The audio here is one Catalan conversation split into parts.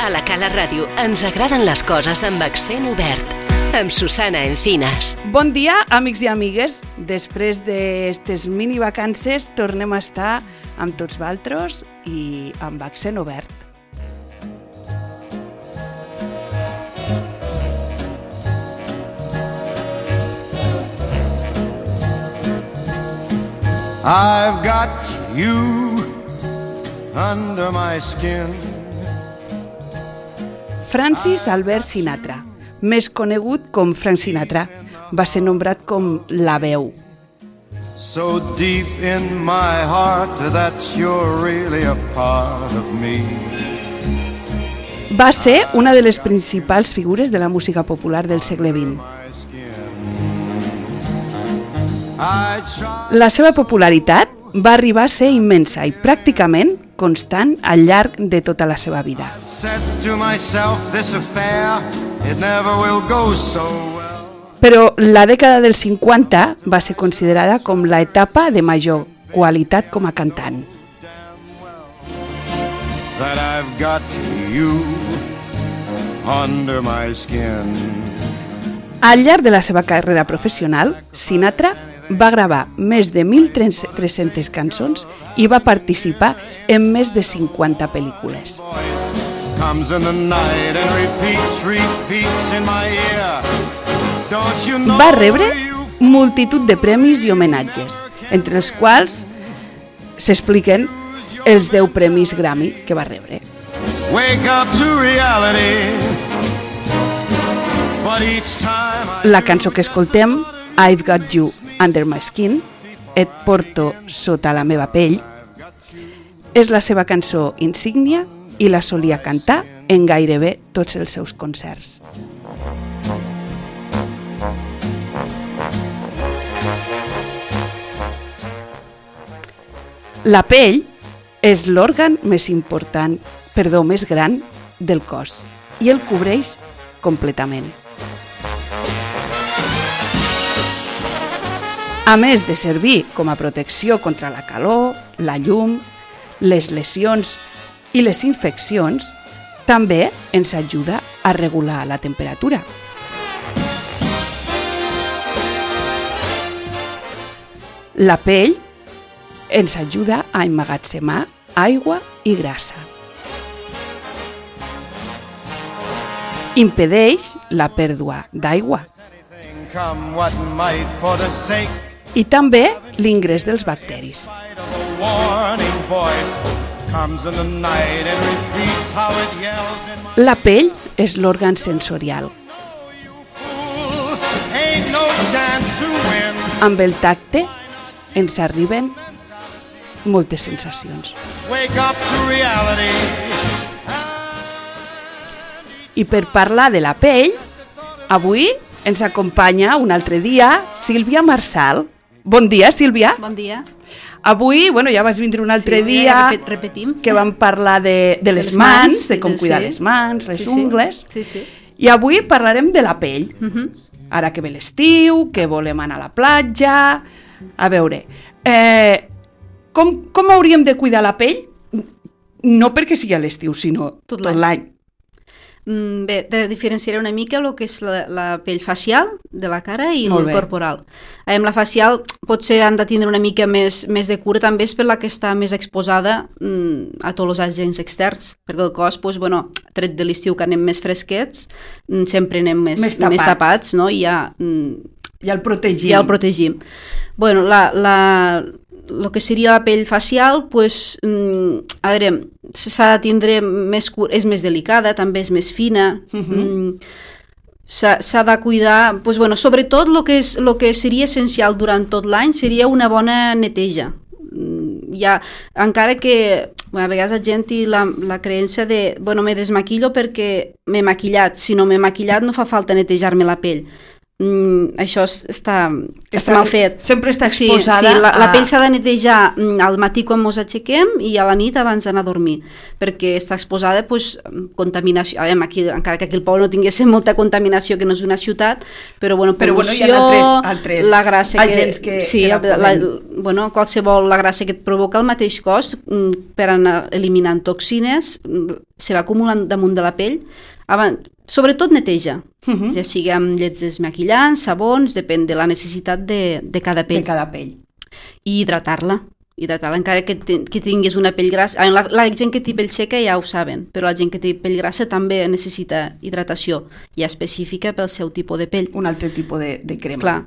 A la Cala Ràdio ens agraden les coses amb accent obert. Amb Susana Encinas. Bon dia, amics i amigues. Després d'estes mini-vacances tornem a estar amb tots vosaltres i amb accent obert. I've got you under my skin. Francis Albert Sinatra, més conegut com Frank Sinatra, va ser nombrat com la veu. So deep in my heart that you're really a part of me. Va ser una de les principals figures de la música popular del segle XX. La seva popularitat va arribar a ser immensa i pràcticament constant al llarg de tota la seva vida. Però la dècada dels 50 va ser considerada com l'etapa de major qualitat com a cantant. Al llarg de la seva carrera professional, Sinatra va gravar més de 1.300 cançons i va participar en més de 50 pel·lícules. Va rebre multitud de premis i homenatges, entre els quals s'expliquen els 10 premis Grammy que va rebre. La cançó que escoltem, I've Got You Under My Skin, Et porto sota la meva pell, és la seva cançó insígnia i la solia cantar en gairebé tots els seus concerts. La pell és l'òrgan més gran del cos i el cobreix completament. A més de servir com a protecció contra la calor, la llum, les lesions i les infeccions, també ens ajuda a regular la temperatura. La pell ens ajuda a emmagatzemar aigua i grassa. Impedeix la pèrdua d'aigua. I també l'ingrés dels bacteris. La pell és l'òrgan sensorial. Amb el tacte ens arriben moltes sensacions. I per parlar de la pell, avui ens acompanya un altre dia Sílvia Marsal. Bon dia, Sílvia. Bon dia. Avui, ja vas vindre un altre dia repetim. Que vam parlar de les mans, de com cuidar les mans, les ungles. Sí. I avui parlarem de la pell. Ara que ve l'estiu, que volem anar a la platja. A veure, com hauríem de cuidar la pell? No perquè sigui a l'estiu, sinó tot l'any. Bé, diferenciaré una mica el que és la pell facial de la cara i el corporal. La facial potser han de tindre una mica més de cura, també és per la que està més exposada a tots els agents externs, perquè el cos, tret de l'estiu que anem més fresquets, sempre anem més tapats, no? I ja el protegim. El que seria la pell facial, s'ha de tindre més cura, és més delicada, també és més fina, s'ha de cuidar, sobretot el que seria essencial durant tot l'any seria una bona neteja. Encara que a vegades la gent té la creença de me desmaquillo perquè m'he maquillat, si no m'he maquillat no fa falta netejar-me la pell. Això està mal fet. Sempre està exposada. Sí, la pell s'ha de netejar al matí quan ens aixequem i a la nit abans d'anar a dormir, perquè està exposada a contaminació. Aquí, encara que aquí al poble no tinguéssim molta contaminació, que no és una ciutat, però pol·lució, altres la grassa agents que qualsevol la grassa que et provoca el mateix cos per anar eliminant toxines, se va acumulant damunt de la pell, sobretot neteja, ja sigui amb llets desmaquillants, sabons, depèn de la necessitat de cada pell. De cada pell. I hidratar-la, encara que tinguis una pell grassa. La gent que té pell seca ja ho saben, però la gent que té pell grassa també necessita hidratació, ja específica pel seu tipus de pell. Un altre tipus de crema. Clar.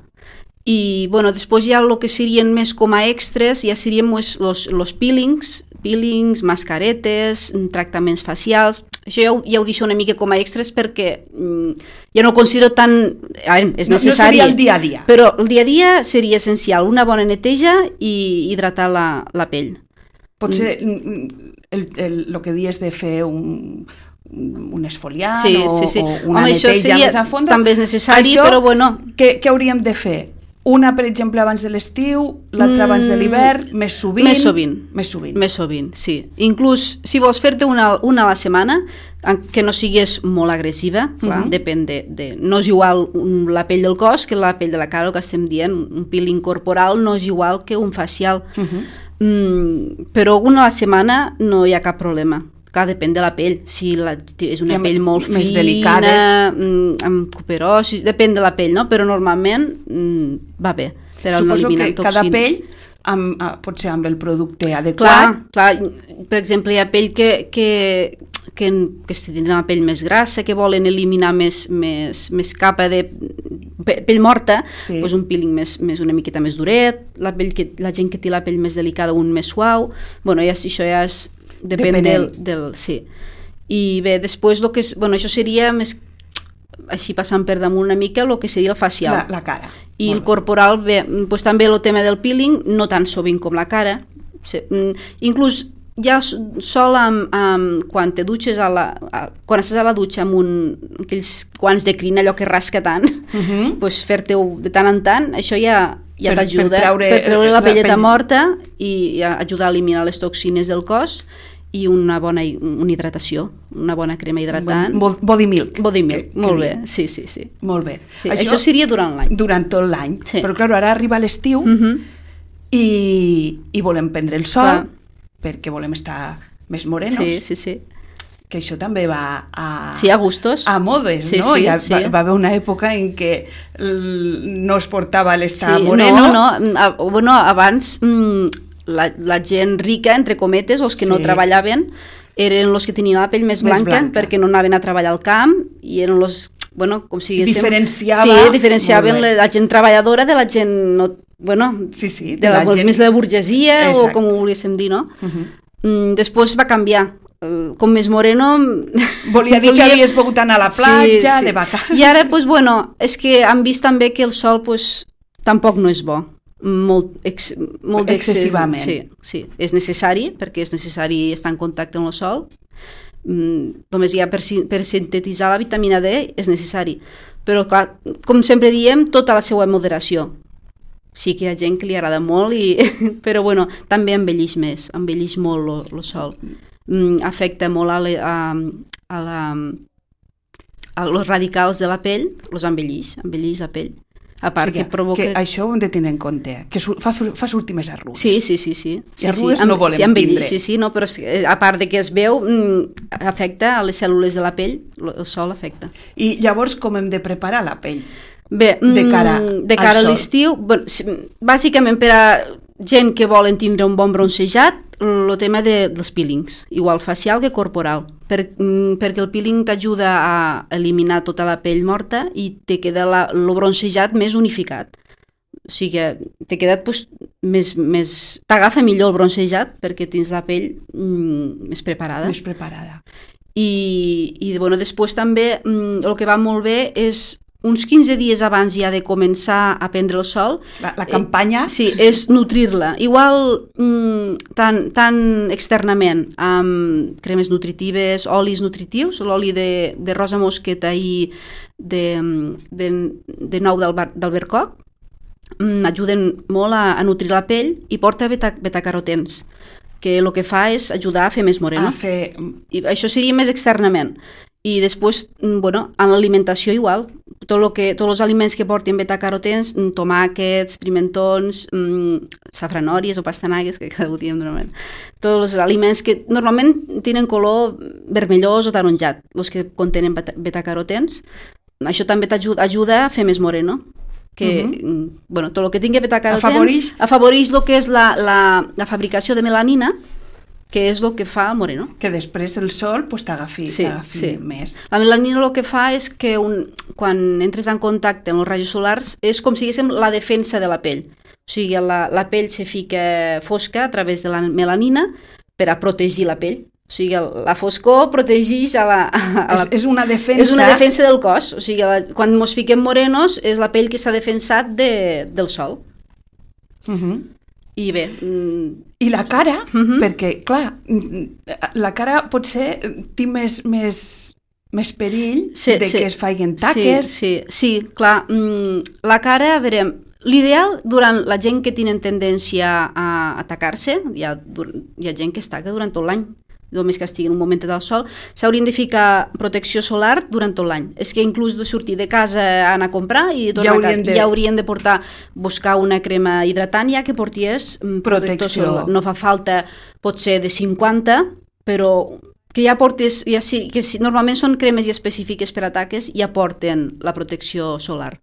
I després ja el que serien més com a extras ja serien els peelings, mascaretes, tractaments facials. Això ja ho deixo una mica com a extras perquè jo no ho considero tan... és necessari. No seria el dia a dia. Però el dia a dia seria essencial, una bona neteja i hidratar la pell. Potser el que dius de fer un esfoliant sí. o una neteja més a fons. També és necessari, però bueno... Què hauríem de fer? Una, per exemple, abans de l'estiu, l'altra abans de l'hivern, més sovint? Més sovint, sí. Inclús, si vols fer-te una a la setmana, que no sigués molt agressiva, clar, depèn de... No és igual la pell del cos que la pell de la cara, el que estem dient. Un peeling corporal no és igual que un facial. Però una a la setmana no hi ha cap problema. Clar, depèn de la pell. Si és una pell molt més fina, delicades, amb cuperosi, depèn de la pell, no? Però normalment va bé. Suposo que cada pell, potser amb el producte adequat... Clar, per exemple, hi ha pell que tenen la pell més grassa, que volen eliminar més capa de pell morta, doncs un peeling una miqueta més duret, la gent que té la pell més delicada, un més suau. Bueno, això ja és... Depèn del... Sí. I bé, després el que és... Bueno, això seria més... Així passant per damunt una mica el que seria el facial. La cara. I el corporal, bé, doncs també el tema del peeling, no tan sovint com la cara. Inclús ja sol quan te dutxes quan estàs a la dutxa amb aquells guants de crin, allò que rasca tant, doncs fer-te-ho de tant en tant, això ja t'ajuda per treure la pelleta morta i ajudar a eliminar les toxines del cos i una hidratació, una bona crema hidratant. Body milk. Molt bé, sí. Molt bé. Sí, això seria durant l'any. Durant tot l'any. Sí. Però clar, ara arriba l'estiu i volem prendre el sol perquè volem estar més morenos. Sí. Que això també va a gustos. A modes, no? Va haver una època en què no es portava l'estar moreno. Bueno, abans la gent rica, entre cometes, els que no treballaven, eren els que tenien la pell més blanca perquè no anaven a treballar al camp i eren els, bueno, com si diguéssim... Diferenciaven la gent treballadora de la gent, de la gent més de la burgesia, o com ho volguéssim dir, no? Després va canviar. Com més moreno... Volia dir que havies pogut anar a la platja, de vacances... I ara, és que han vist també que el sol tampoc no és bo. Molt excessivament. Sí, és necessari, perquè és necessari estar en contacte amb el sol. Només ja per sintetitzar la vitamina D és necessari. Però, clar, com sempre diem, tota la seva moderació. Sí que hi ha gent que li agrada molt, però bueno, també envellix més, envellix molt el sol. Afecta molt als radicals de la pell, els envellix la pell. A part que provoca... Que això ho hem de tenir en compte, que fa sortir més arrugues. Sí. I arrugues no volem tindre. Sí, no, però a part de que es veu, afecta a les cèl·lules de la pell, el sol afecta. I llavors com hem de preparar la pell? Bé, de cara a l'estiu, bàsicament per a gent que volen tindre un bon bronzejat, el tema dels peelings, igual facial que corporal, perquè el peeling t'ajuda a eliminar tota la pell morta i te queda el bronzejat més unificat. O sigui que t'he quedat més... T'agafa millor el bronzejat perquè tens la pell més preparada. I després també el que va molt bé és uns 15 dies abans ja de començar a prendre el sol. La campanya? Sí, és nutrir-la. Igual tant externament, amb cremes nutritives, olis nutritius, l'oli de rosa mosqueta i de nou d'albercoc, ajuden molt a nutrir la pell i porta betacarotens, que el que fa és ajudar a fer més moreno. I això seria més externament. I després, en l'alimentació igual, tots els aliments que portin betacarotens, tomàquets, pimentons, safranòries o pastanagues, que cada un diem normalment. Tots els aliments que normalment tenen color vermellós o taronjat, els que contenen betacarotens. Això també t'ajuda a fer més moreno. Tot el que tingui betacarotens afavoreix el que és la fabricació de melanina, que és el que fa el moreno. Que després el sol t'agafi més. La melanina el que fa és que quan entres en contacte amb els rajos solars és com si diguéssim la defensa de la pell. O sigui, la pell se fica fosca a través de la melanina per a protegir la pell. O sigui, la foscor protegeix és una defensa. És una defensa del cos. O sigui, quan ens fiquem morenos és la pell que s'ha defensat del sol. I bé... I la cara, perquè, clar, la cara potser té més perill que es facin taques. Sí, clar. La cara, a veure, l'ideal durant la gent que tenen tendència a atacar-se, hi ha gent que es taca durant tot l'any, només que estigui en un moment del sol, s'haurien de ficar protecció solar durant tot l'any. És que inclús de sortir de casa a anar a comprar i tornar a casa, ja haurien de buscar una crema hidratant ja que portés protector solar. No fa falta, pot ser de 50, però que ja portes, normalment són cremes específiques per a taques, ja porten la protecció solar.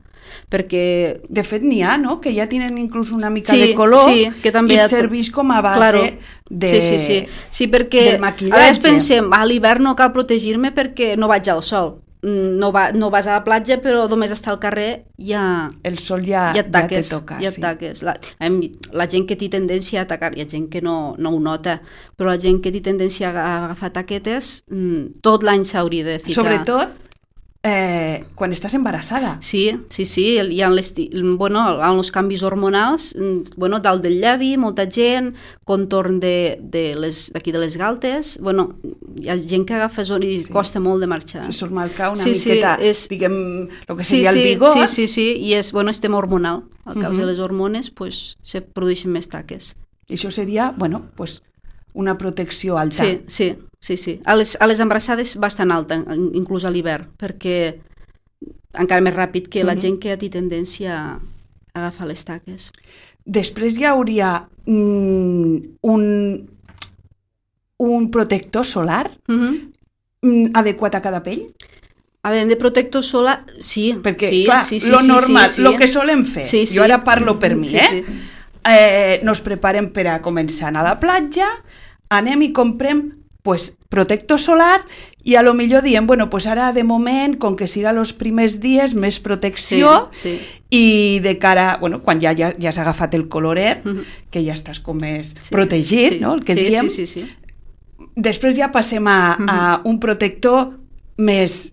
Perquè... De fet n'hi ha, no?, que ja tenen inclús una mica de color que també i serveix com a base Sí, perquè del maquillatge. A vegades pensem, a l'hivern no cal protegir-me perquè no vaig al sol. No vas a la platja, però només estar al carrer el sol ja te toca. Ja et taques. La gent que té tendència a atacar, hi ha gent que no ho nota, però la gent que té tendència a agafar taquetes, tot l'any s'hauria de ficar. Sobretot quan estás embarassada. Sí, hi ha els canvis hormonals, dalt del llavi, molta gent, contorn d'aquí de les galtes, hi ha gent que agafa i costa molt de marxar. Se surt marcar una miqueta, diguem, el que seria el vigor. Sí, i és tema hormonal. A causa de les hormones, se produeixen més taques. I això seria, una protecció alta. Sí. A les embarassades bastant alta, inclús a l'hivern, perquè encara més ràpid que la gent que té tendència a agafar les taques. Després hi hauria un protector solar adequat a cada pell? A veure, de protector solar, sí. Perquè, clar, lo normal, lo que solem fer, jo ara parlo per mi, nos preparem per a començar a anar a la platja, anem i comprem protector solar i a lo millor diem, ara de moment, com que serà els primers dies, més protecció i de cara, quan ja s'ha agafat el coloret, que ja estàs com més protegit, no? El que diem. Després ja passem a un protector més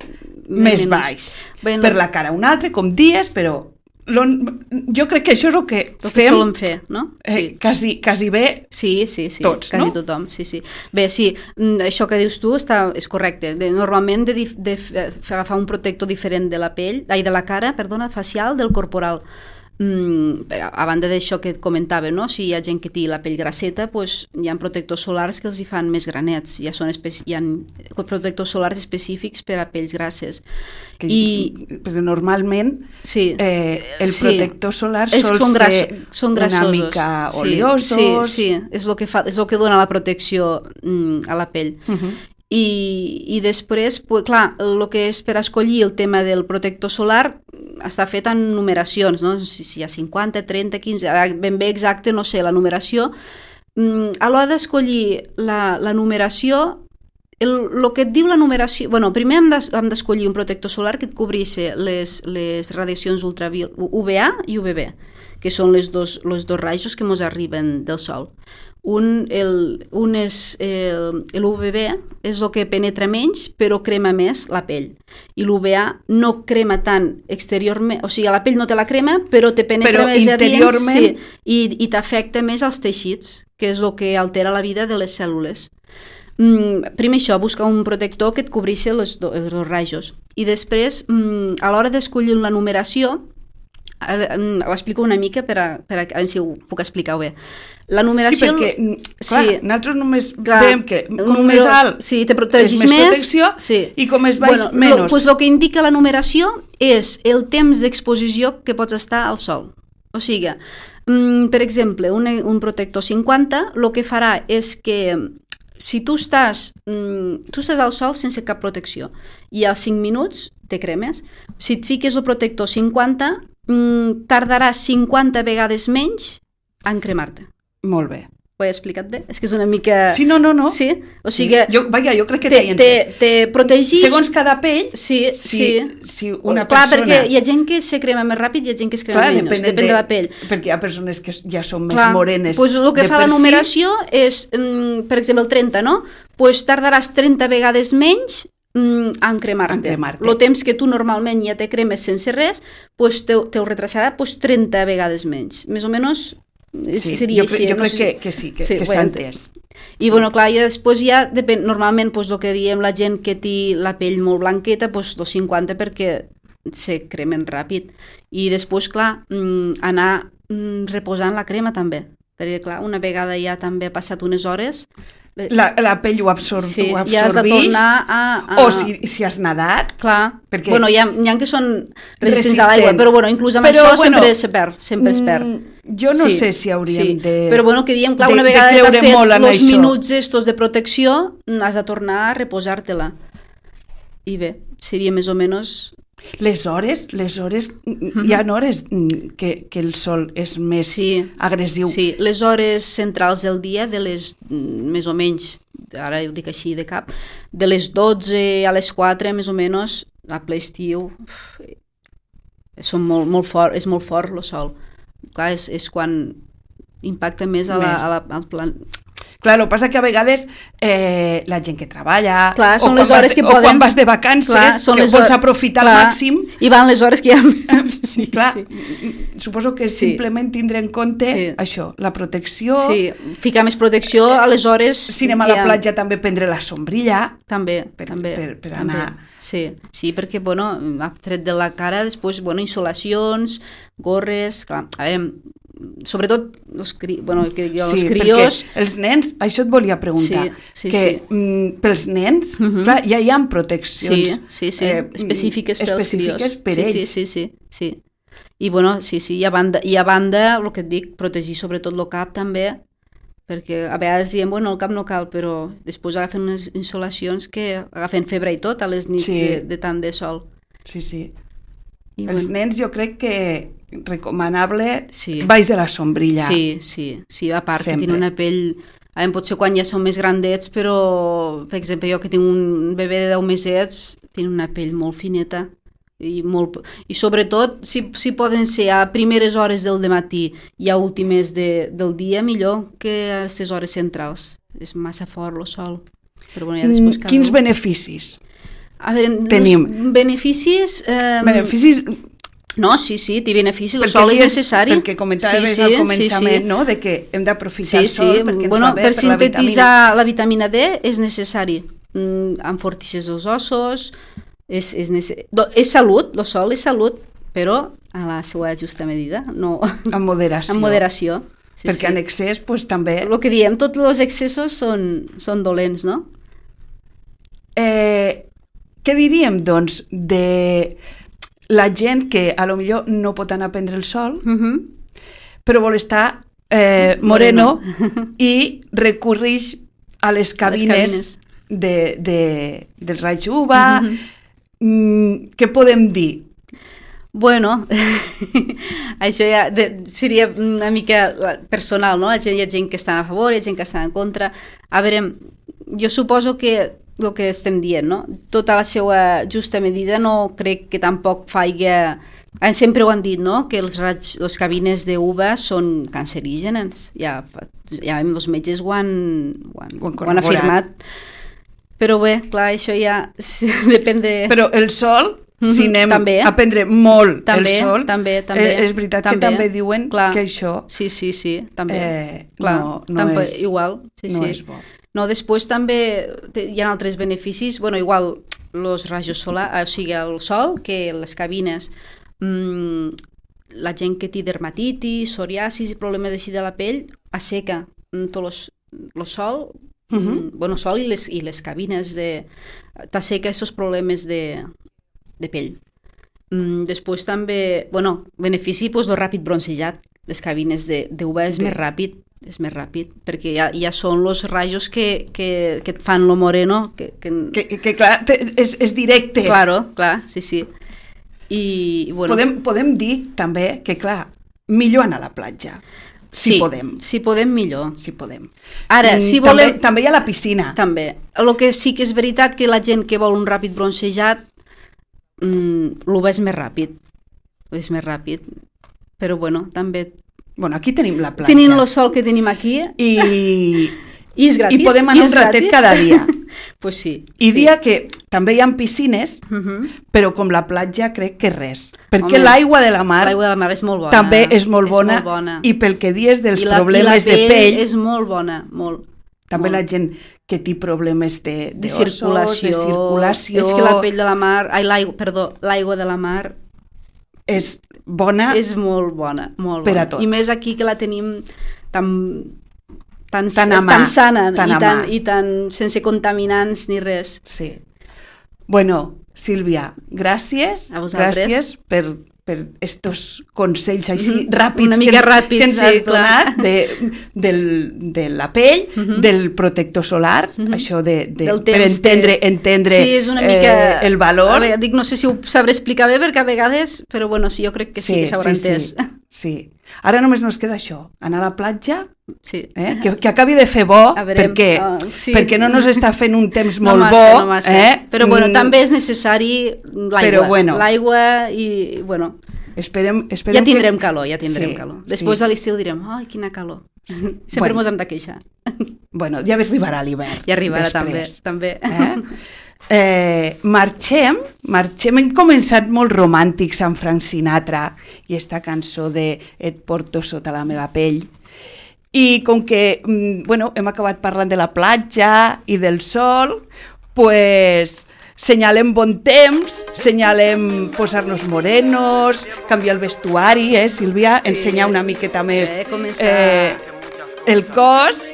baix. Per la cara un altre, com dies, però jo crec que això és el que fem, solem fer, no? Quasi bé tots, quasi no? Tothom, sí. Bé, sí, això que dius tu és correcte. Normalment de agafar un protector diferent de la pell, de la cara, facial, del corporal. A banda d'això que et comentava, no? Si hi ha gent que té la pell grasseta, hi ha protectors solars que els hi fan més granets. Hi ha protectors solars específics per a pells grasses. Perquè normalment el protector solar són una mica oleosos. Sí, és el que dona la protecció a la pell. I després, clar, el que és per escollir el tema del protector solar està fet en numeracions, no? Si hi ha 50, 30, 15, ben bé exacte, no sé, la numeració. A l'hora d'escollir la numeració, el que et diu la numeració... Primer hem d'escollir un protector solar que et cobreixi les radiacions UVA i UVB, que són els dos rajos que ens arriben del sol. Un és l'UVB, és el que penetra menys però crema més la pell, i l'UVA no crema tant exteriorment, o sigui, a la pell no te la crema però te penetra més interiorment i t'afecta més als teixits, que és el que altera la vida de les cèl·lules. Primer això, busca un protector que et cobreixi els dos rajos, i després a l'hora d'escollir la numeració ho explico una mica per a veure si ho puc explicar bé. La numeració... Sí, perquè, clar, nosaltres només veiem que com més alt te protegis és més protecció i com més baix, menys. Doncs el que indica la numeració és el temps d'exposició que pots estar al sol. O sigui, per exemple, un protector 50, el que farà és que si tu estàs al sol sense cap protecció i als 5 minuts te cremes, si et fiques el protector 50, tardaràs 50 vegades menys en cremar-te. Molt bé. Ho he explicat bé? És que és una mica... Sí, no. Sí? O sigui... Jo crec que t'he entès. Te protegis... Segons cada pell, si una persona... Clar, perquè hi ha gent que se crema més ràpid i hi ha gent que es crema menys. Depèn de la pell. Perquè hi ha persones que ja són més morenes. Doncs el que fa la numeració és, per exemple, el 30, no? Doncs tardaràs 30 vegades menys en cremar-te. El temps que tu normalment ja te cremes sense res, te ho retrasarà 30 vegades menys. Més o menys... seria així. Jo crec que sí, que s'ha entès. I clar, i després ja depèn, normalment el que diem la gent que té la pell molt blanqueta, els 50 perquè se cremen ràpid. I després, clar, anar reposant la crema també, perquè clar, una vegada ja també ha passat unes hores... La pell ho absorbeix, i has de tornar a... O si has nadat... Clar, hi ha que són resistents a l'aigua, però inclús amb això sempre es perd. Jo no sé si hauríem de... Però que diem, clar, una vegada que t'ha fet els minuts estos de protecció, has de tornar a reposar-te-la. I bé, seria més o menys... Les hores, hi ha hores que el sol és més agressiu. Sí, les hores centrals del dia, de les, més o menys, ara ho dic així de cap, de les 12 a les 4, més o menys, a ple estiu, és molt fort el sol. Clar, és quan impacta més al plan... Clar, el que passa que a vegades la gent que treballa són les hores que poden... o quan vas de vacances, que pots aprofitar al màxim... I van les hores que hi ha... Suposo que simplement tindre en compte això, la protecció... Sí, ficar més protecció a les hores... Si anem a la platja també prendre la sombrilla... També. Per anar... Sí, perquè, ha tret de la cara, després, insolacions, gorres... Clar, a veure... Sobretot els crios... Perquè els nens, això et volia preguntar, pels nens, clar, ja hi ha proteccions específiques pels crios. Per ells. Sí. I i a banda, el que et dic, protegir sobretot el cap també, perquè a vegades diem, el cap no cal, però després agafen unes insolacions que agafen febre i tot a les nits de tant de sol. Sí. Els nens jo crec que recomanable baix de la sombrilla. Sí, a part que tenen una pell... Potser quan ja són més grandets, però, per exemple, jo que tinc un bebè de 10 mesets, tinc una pell molt fineta i sobretot, si poden ser a primeres hores del matí i a últimes del dia, millor que a aquestes hores centrals. És massa fort el sol. Però, ja després quins beneficis? A veure, tenim beneficis... Beneficis... No, sí, té beneficis, el sol és necessari. Perquè comentaves al començament, no?, de que hem d'aprofitar el sol perquè ens va bé per sintetitzar la vitamina D és necessari. Enfortixes els ossos, és salut, el sol és salut, però a la seva justa medida, no... Amb moderació. Amb moderació. Perquè en excés, també... El que diem, tots els excessos són dolents, no? Què diríem, doncs, de... la gent que a lo millor no pot anar a prendre el sol, però vol estar moreno i recorreix a les cabines dels raigs UVA. Què podem dir? Bueno, això ja seria una mica personal, no? Hi ha gent que està a favor, hi ha gent que està en contra. A veure, jo suposo que el que estem dient, no? Tota la seva justa medida no crec que tampoc faigui... Sempre ho han dit, no?, que les cabines d'UVA són cancerígenes. Ja els metges ho han afirmat. Però bé, clar, això ja depèn de... Però el sol, si anem a prendre molt el sol, és veritat que també diuen que això... Sí, també. No és... Igual, no és bo. No, després també hi ha altres beneficis, igual els rajos solars, o sigui, el sol, que les cabines la gent que té dermatitis, psoriasis i problemes així de la pell, asseca tot el sol, sol i les cabines t'asseca aquests problemes de pell. Després també, benefici el ràpid bronzejat. Les cabines d'UV és més ràpid, perquè ja són els rajos que et fan lo moreno. Que clar, és directe. Clar, sí. I, podem dir també que, clar, millor anar a la platja. Si podem. Si podem, millor. Si podem. Ara, si volem... També hi ha la piscina. També. El que sí que és veritat que la gent que vol un ràpid bronzejat l'UV és més ràpid. És més ràpid. Però, també... Aquí tenim la platja. Tenim el sol que tenim aquí. I és gratis. I podem anar un ratet cada dia. Pues sí. I dia que també hi ha piscines, però com la platja crec que res. Perquè l'aigua de la mar és molt bona. També és molt bona. I pel que dius dels problemes de pell... és molt bona, molt. També la gent que té problemes de circulació. És que la pell de la mar... l'aigua de la mar... És bona. És molt bona, molt per bona. A tot. I més aquí que la tenim tan sana i tan sense contaminants ni res. Sí. Sílvia, gràcies. A vosaltres. Gràcies per estos consells així ràpids una mica ràpids que ens has donat de la pell, del protector solar, això per entendre és una mica, el valor. Dic, no sé si ho sabré explicar bé, perquè a vegades, però sí, jo crec que sí que s'haurà entès. Sí. Ara només nos queda això, anar a la platja, sí. Que acabi de fer bo, perquè no nos està fent un temps molt bo. No massa. Però també és necessari l'aigua. L'aigua i, esperem ja tindrem calor. Després a l'estiu direm, ai, quina calor. Sempre mos hem de queixar. Ja arribarà l'hivern. Ja arribarà també. Marxem, hem començat molt romàntics amb Frank Sinatra i esta cançó de Et porto sota la meva pell, i com que hem acabat parlant de la platja i del sol, senyalem bon temps, senyalem posar-nos morenos, canviar el vestuari, Sílvia, ensenyar una miqueta més el cos.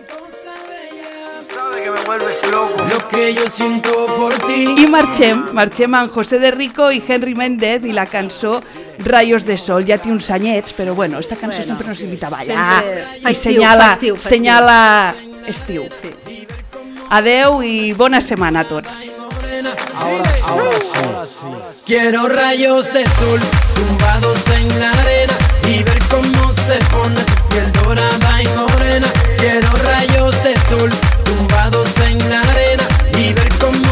I marxem amb José de Rico i Henry Méndez i la cançó Rayos de Sol. Ja té uns anyets, però esta cançó sempre nos invita a ballar i senyala estiu. Adeu i bona setmana a tots. Ahora sí. Quiero rayos de sol tumbados en la arena y ver cómo se pone piel dorada y morena. Quiero rayos de sol tumbados en la arena y ver cómo